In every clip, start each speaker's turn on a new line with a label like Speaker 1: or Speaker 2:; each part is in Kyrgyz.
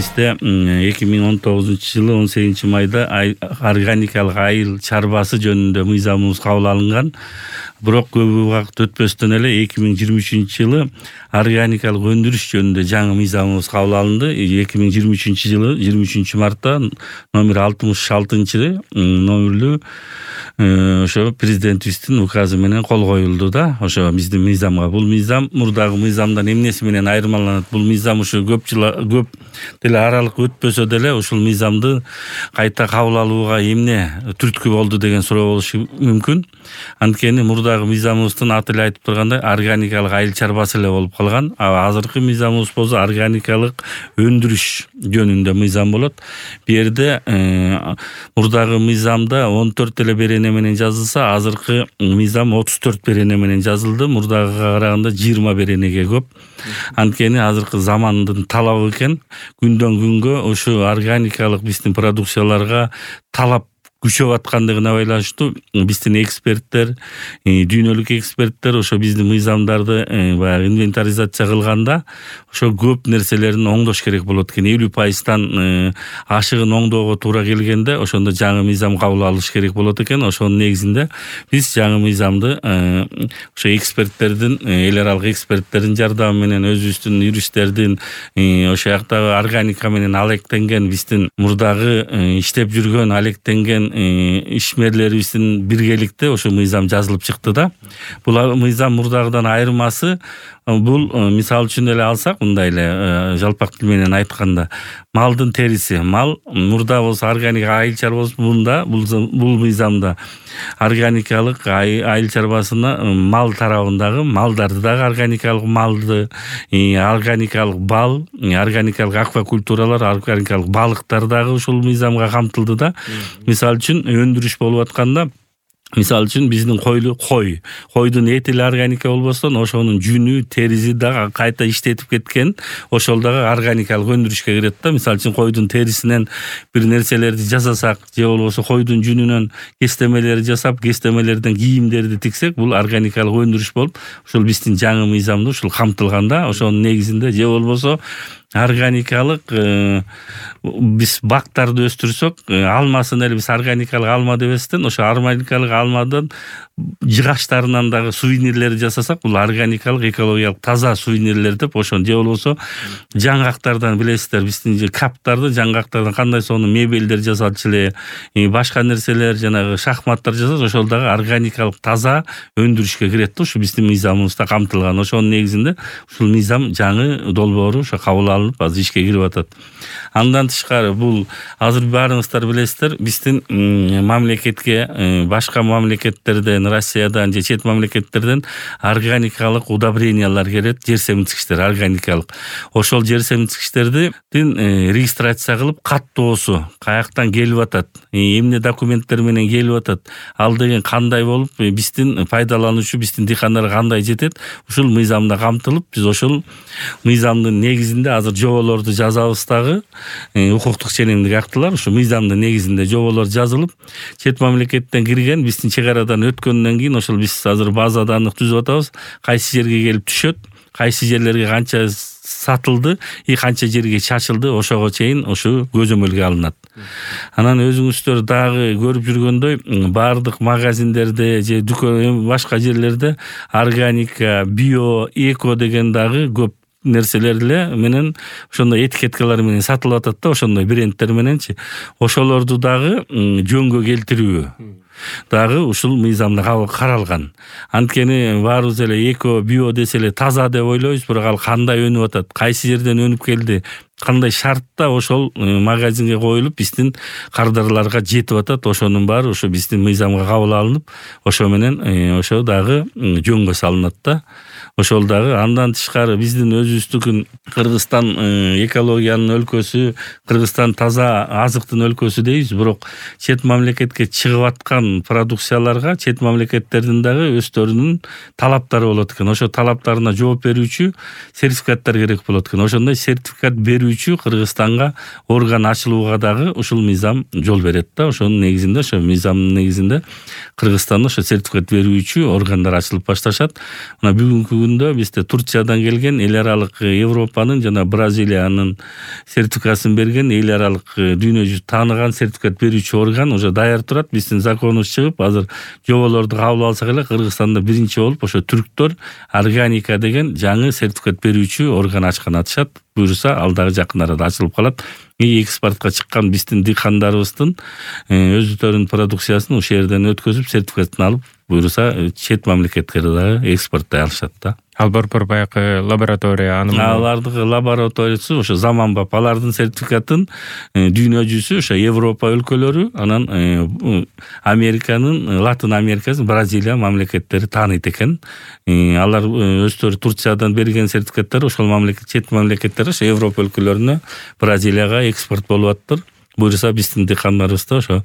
Speaker 1: бизде 2019-жылы 18-майда органикалык айыл чарбасы жөнүндө мыйзамыбыз кабыл алынган. Бирок көп убакыт өтпөстөн эле 2023-жылы органикалык өндүрүш жөнүндө жаңы мыйзамыбыз кабыл алынды. 2023-жылы 23-мартта номер 66 номерлүү ошо президентибиздин указы менен кол коюлду да. Ошо биздин мыйзамга. Бул мыйзам мурдагы мыйзамдан эмнеси менен айырмаланат? Бул мыйзам ушу көп деле аралык өтпөсө деле ушул мыйзамды кайта кабыл алууга эмне түрткү болду деген суроо болушу мүмкүн. Анткени мурдагы мыйзамыбыздын аты эле айтып тургандай органикалык айыл чарбасы эле болуп калган. Азыркы мыйзамыбыз болсо органикалык өндүрүш жөнүндө мыйзам болот. Бу жерде мурдагы мыйзамда 14 эле берене менен жазылса, азыркы мыйзам 34 берене менен жазылды. Мурдагыга караганда 20 беренеге көп. Анткени азыркы замандын талабы экен. Күндөн күнгө ушу органикалык биздин продукцияларга талап күчөп аткандыгына байланыштуу биздин эксперттер, дүйнөлүк эксперттер ошо биздин мыйзамдарды баягы инвентаризация кылганда ошо көп нерселерин оңдош керек болот экен. 50% ашыгын оңдоого туура келгенде ошондо жаңы мыйзам кабыл алыш керек болот экен. Ошонун негизинде биз жаңы мыйзамды ошо эксперттердин, эл аралык эксперттердин жардамы менен, өзүбүздүн юристтердин, ошо жактагы органика менен алектенген биздин мурдагы иштеп жүргөн алектенген ишмерлерибиздин биргеликте ошо мыйзам жазылып чыкты да. Бул мыйзам мурдагыдан айырмасы бул мисал үчүн эле алсак, мындай эле жалпак тил менен айтканда, малдын териси. Мал мурда болсо органик айыл чарбасында, бул мыйзамда органикалык айыл чарбасына мал тарабындагы малдарды дагы органикалык малды, органикалык бал, органикалык аквакультуралар, органикалык балыктар дагы ушул мыйзамга камтылды да. Мисал үчүн өндүрүш болуп атканда, мисал үчүн биздин койдун эти эле органика болбостон, ошонун жүнү, териси дагы кайта иштетип кеткен, ошол дагы органикалык өндүрүшкө кирет да. Мисал үчүн койдун терисинен бир нерселерди жасасак, же болбосо койдун жүнүнөн кестемелерди жасап, кестемелерден кийимдерди тиксек, бул органикалык өндүрүш болуп, ушул биздин жаңы мыйзамда ушул камтылган да. Ошонун негизинде же болбосо органикалык биз бактарды өстүрсөк, алмасын эле биз органикалык алма дебестен, ошо органикалык алмадан жыгачтарынан дагы сувенирлерди жасасак, бул органикалык экологиялык таза сувенирлер деп, ошон же болбосо жаңгактардан билесиздер, биздин каптарды жаңгактардан кандай сону мебелдер жасалчу эле, башка нерселер, жанагы шахматтар жасалса, ошол дагы органикалык таза өндүрүшкө кирет да. Ушу биздин мыйзамыбызда камтылган. Ошонун негизинде ушул мыйзам жаңы долбоору ошо кабыл алынып, азыр ишке кирип атат. Андан тышкары бул азыр баарыңыздар билесиздер, биздин мамлекетке башка мамлекеттерден, Россиядан же чет мамлекеттерден органикалык удобрениялар келет, жер семирткичтер органикалык. Ошол жер семирткичтердин регистрация кылып, каттоосу каяктан келип атат, эмне документтер менен келип атат, ал деген кандай болуп, биздин пайдалануучу, биздин дыйкандарга кандай жетет, ушул мыйзамда камтылып, биз ошол мыйзамдын негизинде азыр жоболорду жазабыз дагы, укуктук ченемдик актылар ушу мыйзамдын негизинде жоболор жазылып, чет мамлекеттен кирген, биздин чек арадан өткөндөн кийин ошол биз азыр базада анык түзүп атабыз, кайсы жерге келип түшөт, кайсы жерлерге канча сатылды, канча жерге чачылды, ошого чейин ушу көзөмөлгө алынат. Анан өзүңүздөр дагы көрүп жүргөндөй, баардык магазиндерде же дүкөн башка жерлерде органика, био, эко деген дагы көп нерселер эле менен ошондой этикеткалар менен сатылып атат да, ошондой брендтер мененчи. Ошолорду дагы жөнгө келтирүү дагы ушул мыйзамда каралган. Анткени баарыбыз эле эко, био десе эле таза деп ойлойбуз, бирок ал кандай өнүп атат, кайсы жерден өнүп келди, кандай шартта ошол магазинге коюлуп биздин кардарларга жетип атат, ошонун баары ошо биздин мыйзамга кабыл алынып, ошо менен ошо дагы жөнгө салынат да. Ошол дагы андан тышкары биздин өзүбүздүкүн Кыргызстан экологиянын өлкөсү, Кыргызстан таза азыктын өлкөсү дейбиз, бирок чет мамлекетке чыгып аткан продукцияларга чет мамлекеттердин дагы өздөрүнүн талаптары болот экен. Ошо талаптарына жооп берүүчү сертификаттар керек болот экен. Ошондой сертификат берүүчү Кыргызстанга орган ачылууга дагы ушул мыйзам жол берет да. Ошонун негизинде, ошо мыйзамдын негизинде Кыргызстанда ошо сертификат берүүчү органдар ачылып башташат. Мына бүгүнкү күндө бизде Турциядан келген эл аралык Европанын жана Бразилиянын сертификатын берген эл аралык дүйнө жүзү тааныган сертификат берүүчү орган уже даяр турат. Биздин законубуз чыгып, азыр жоболорду кабыл алсак эле Кыргызстанда биринчи болуп ошо түрктөр органика деген жаңы сертификат берүүчү орган ачкан атышат. Буюрса ал дагы жакын арада ачылып калат. Экспортко чыккан биздин дыйкандарыбыздын өздөрүнүн продукциясын ошол жерден өткөзүп сертификатын алып, буюрса чет мамлекетке дагы экспорттой алышат да.
Speaker 2: Ал борбор баягы лаборатория
Speaker 1: алардын лабораториясы ошо заманбап, алардын сертификатын дүйнө жүзү ошо Европа өлкөлөрү, анан Американын, Латын Америкасы, Бразилия мамлекеттери тааныйт экен. Алар өздөрү Турциядан берген сертификаттар ошол мамлекет, чет мамлекеттер ошо Европа өлкөлөрүнө, Бразилияга экспорт болуп аттыр. Буюрса биздин дыйкандарыбыз да ошо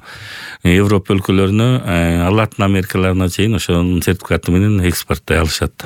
Speaker 1: Европа өлкөлөрүнө, Латын Америкаларына чейин ошонун сертификаты менен экспорттой алышат.